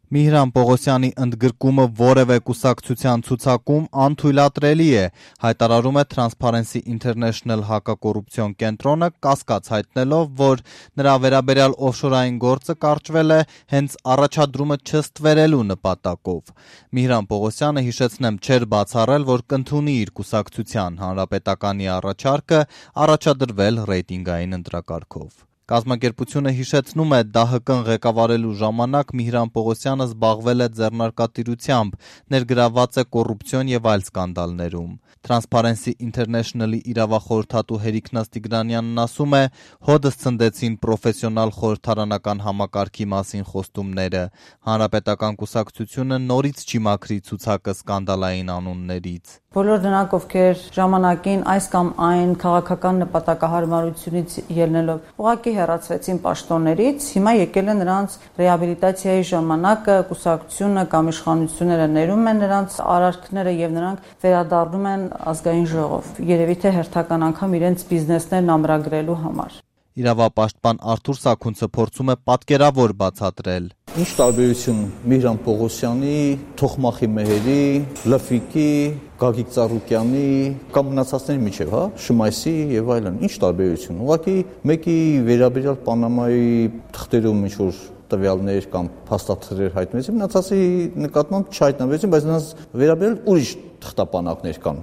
Միհրան Պողոսյանի ընդգրկումը որևէ կուսակցության ցուցակում անթույլատրելի է, հայտարարում է Transparency International հակակոռուպցիոն կենտրոնը, կասկած հայտնելով, որ նրա վերաբերյալ օֆշորային գործը կարճվել է հենց առաջադրումը չստվերելու նպատակով։ Միհրան Պողոսյանը, հիշեցնեմ, չէր բացառել, որ կընդունի իր կուսակցության Հանրապետականի առաջարկը առաջադրվել ռեյտինգային ընտրակարգով։ Կազմակերպությունը հիշեցնում է, ԴՀԿ-ն ղեկավարելու ժամանակ Միհրան Պողոսյանը զբաղվել է ձեռնարկատիրությամբ, ներգրավված է կոռուպցիոն եւ այլ սկանդալներում։ Transparency International-ի իրավախորհրդատու Հերիկ Տիգրանյանն ասում է, հոդս ցնդեցին պրոֆեսիոնալ խորհրդարանական համակարգի մասին խոստումները։ Հանրապետական կուսակցությունը նորից չի մաքրի ցուցակը սկանդալային անուններից։ Բոլոր նրանք, ովքեր ժամանակին այս կամ այն քաղաքական նպատակահարմարությունից ելնելով ուղղակի հեռացվեցին պաշտոններից, հիմա եկել է նրանց ռեաբիլիտացիայի ժամանակը, կուսակցությունը կամ իշխանությունները ներում են նրանց արարքները եւ նրանք վերադառնում են ազգային ժողով։ Երևի թե հերթական անգամ իրենց բիզնեսներն ամրագրելու համար։ Իրավապաշտպան Արթուր Սաքունցը փորձում է պատկերավոր բացատրել։ Ինչ տարբերություն Միհրան Պողոսյանի, Թոխմախի Մեհերի, Լֆիկի, Գագիկ Ծառուկյանի կամ մնացածների միջև, Շմայսի եւ այլն, ինչ տարբերություն։ Ուղղակի մեկի վերաբերյալ Պանամայի թղթերում ինչ որ տվյալներ կամ փաստաթղթեր հայտնվեցին, մնացածի նկատմամբ չհայտնվեցին, բայց նրանց վերաբերյալ ուրիշ թղթապանակներ կան։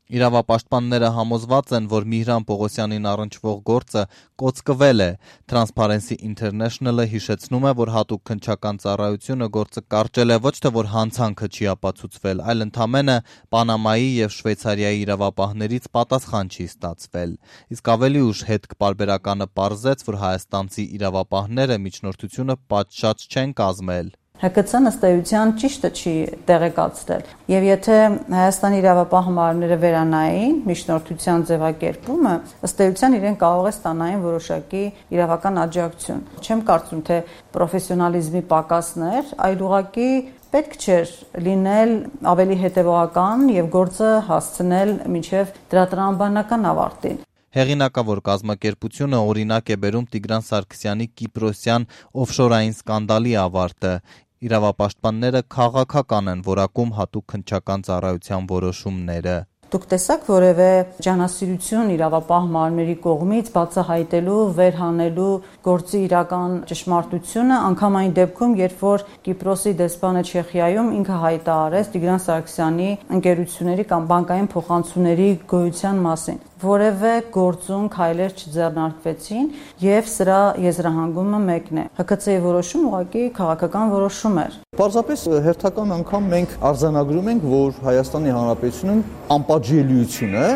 Իրավապաշտպանները համոզված են, որ Միհրան Պողոսյանին առնչվող գործը կոծկվել է։ Transparency International-ը հիշեցնում է, որ հատուկ քննչական ծառայությունը գործը կարճել է ոչ թե որ հանցանքը չի ապացուցվել, այլ ընդամենը Պանամայի եւ Շվեյցարիայի իրավապահներից պատասխան չի ստացվել։ Իսկ ավելի ուշ հետքպարբերականը պարզեց, որ հայաստանցի իրավապահները միջնորդությունը պատշաճ չեն կազմել։ ՀԿՑ-ն ըստ էության ճիշտը չի տեղեկացրել, եւ եթե Հայաստանի իրավապահ համարները վերանային միջնորդության ձևակերպումը, ըստ էության իրեն կարող է ստանային որոշակի իրավական աջակցություն։ Չեմ կարծում, թե պրոֆեսիոնալիզմի պակասներ, այլ ուղղակի պետք չէր լինել ավելի հետևողական եւ գործը հասցնել մինչեւ դրա տրամաբանական ավարտին։ Հեղինակավոր կազմակերպությունը օրինակ է բերում Տիգրան Սարգսյանի կիպրոսյան օֆշորային սկանդալի ավարտը։ Իրավապաշտպանները քաղաքական են որակում հատուկ քննչական ծառայության որոշումները։ Դուք տեսաք որևէ ջանասիրություն իրավապահ մարմինների կողմից բացահայտելու, վերհանելու գործի իրական ճշմարտությունը, անգամ այն դեպքում, երբ որ Կիպրոսի դեսպանը Չեխիայում ինքը հայտարարեց Տիգրան Սարգսյանի ընկերությունների կամ բանկային փոխանցումների գոյության մասին։ Որևէ գործում քայլեր չձեռնարկվեցին եւ սրա եզրահանգումը մեկն է։ ՀԿՑ-ի որոշում ուղղակի քաղաքական որոշում էր։ Պարզապես հերթական անգամ մենք արձանագրում ենք, որ Հայաստանի Հանրապետությունում անպատժելիությունը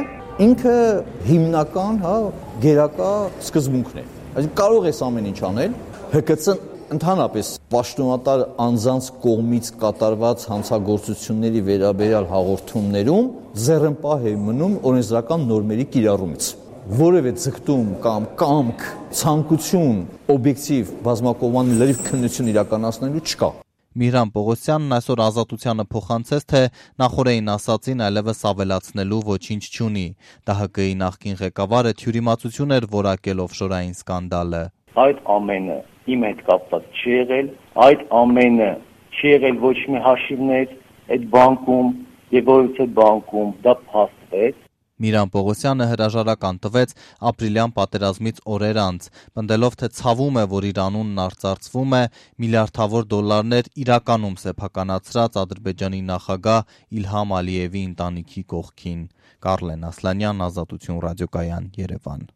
ինքը հիմնական, գերակա սկզբունքն է։ Այսինքն կարող ես ամեն ինչ անել, ՀԿՑ-ն ընդհանրապես պաշտոնատար անձանց կողմից կատարված հանցագործությունների վերաբերյալ հաղորդումներում ձեռնպահ է մնում օրենսդրական նորմերի կիրառումից։ Որևէ ձգտում կամ կամք, ցանկություն օբյեկտիվ բազմակողմանի լրիվ քննություն իրականացնելու չկա։ Միհրան Պողոսյանն այսօր Ազատությանը փոխանցեց, թե նախորդին ասածին այլևս ավելացնելու ոչինչ չունի։ ԴՀԿ-ի նախկին ղեկավարը թյուրիմացություն էր որակել օֆշորային սկանդալը։ Այդ ամենը իմ հետ կապված չի եղել, այդ ամենը չի եղել ոչ մի հաշիվներ այդ բանկում եւ որից այդ բանկում դա փաստվեց։ Միհրան Պողոսյանը հրաժարական տվեց ապրիլյան պատերազմից օրեր անց, պնդելով, թե ցավում է, որ իր անունն արծարծվում է միլիարդավոր դոլարներ իրականում սեփականացրած Ադրբեջանի նախագահ Իլհամ Ալիևի ընտանիքի կողքին։ Կարլեն Ասլանյան, Ազատություն ռադիոկայան, Երևան։